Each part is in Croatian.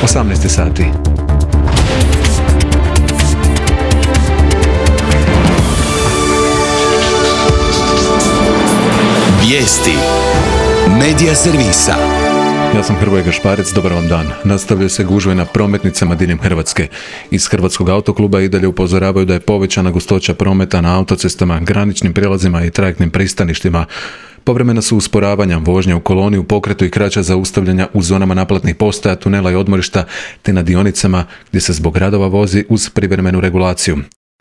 18 sati. Vijesti Medija servisa. Ja sam Hrvoje Gašparec, dobar vam dan. Nastavljaju se gužve na prometnicama diljem Hrvatske. Iz Hrvatskog autokluba i dalje upozoravaju da je povećana gustoća prometa na autocestama, graničnim prijelazima i trajektnim pristaništima. Povremena su usporavanja, vožnja u koloni, u pokretu i kraća zaustavljanja u zonama naplatnih postaja, tunela i odmorišta, te na dionicama gdje se zbog radova vozi uz privremenu regulaciju.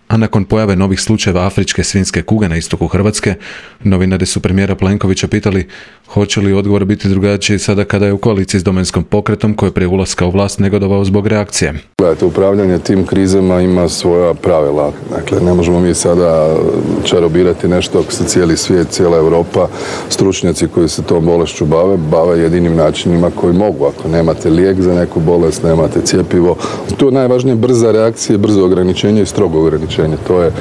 A nakon pojave novih slučajeva afričke svinjske kuge na istoku Hrvatske, novinari su premijera Plenkovića pitali hoće li odgovor biti drugačiji sada kada je u koaliciji s Domovinskim pokretom koji je prije ulaska u vlast negodovao zbog reakcije. Gledajte, upravljanje tim krizama ima svoja pravila. Dakle, ne možemo mi sada čarobirati nešto ako se cijeli svijet, cijela Europa, stručnjaci koji se tom bolešću bave jedinim načinima koji mogu. Ako nemate lijek za neku bolest, nemate cjepivo. Tu je najvažnije brza reakcija, brzo ograničenje i strogo ograničenje. To je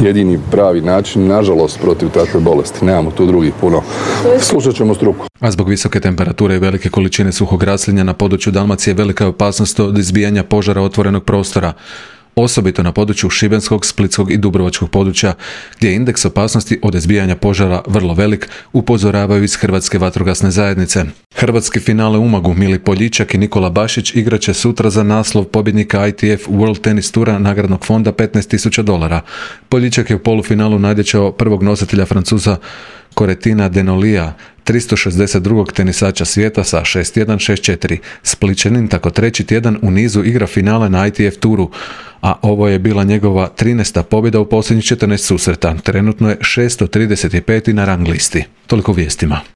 jedini pravi način, nažalost, protiv takve bolesti. Nemamo tu drugih puno. Slušat ćemo struku. A zbog visoke temperature i velike količine suhog raslinja na području Dalmacije velika je opasnost od izbijanja požara otvorenog prostora. Osobito na području Šibenskog, Splitskog i Dubrovačkog područja, gdje je indeks opasnosti od izbijanja požara vrlo velik, upozoravaju iz Hrvatske vatrogasne zajednice. Hrvatski finale u Umagu Mili Poljičak i Nikola Bašić igraće sutra za naslov pobjednika ITF World Tennis Tura nagradnog fonda $15,000. Poljičak je u polufinalu nadjačao prvog nositelja Francuza Corentina Denolija, 362. tenisača svijeta sa 6-1, 6-4. Splićanin tako treći tjedan u nizu igra finale na ITF turu, a ovo je bila njegova 13. pobjeda u posljednjih 14 susreta. Trenutno je 635. na rang listi. Toliko vijestima.